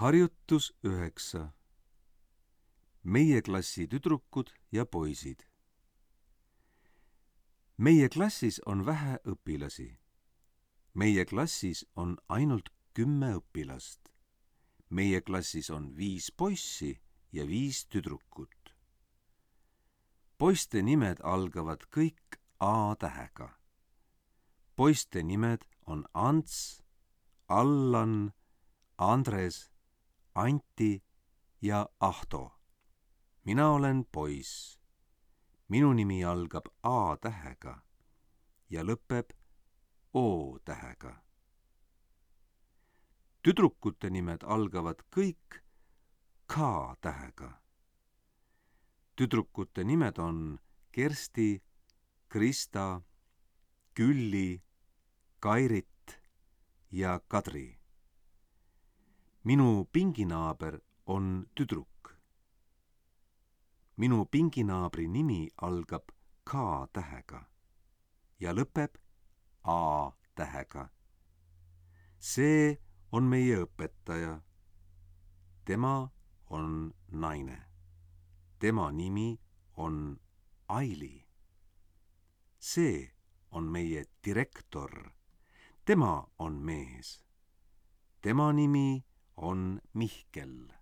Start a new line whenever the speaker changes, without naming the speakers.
Harjutus 9. Meie klassi tüdrukud ja poisid. Meie klassis on vähe õpilasi. Meie klassis on ainult 10 õpilast. Meie klassis on 5 poissi ja 5 tüdrukut. Poiste nimed algavad kõik A tähega. Poiste nimed on Ants, Allan, Andres, Anti ja Ahto. Mina olen poiss. Minu nimi algab A tähega ja lõpeb O tähega. Tüdrukute nimed algavad kõik K tähega. Tüdrukute nimed on Kersti, Krista, Külli, Kairit ja Kadri. Minu pinginaaber on tüdruk. Minu pinginaabri nimi algab K tähega ja lõpeb A tähega. See on meie õpetaja. Tema on naine. Tema nimi on Aili. See on meie direktor. Tema on mees. Tema nimi on Mihkel.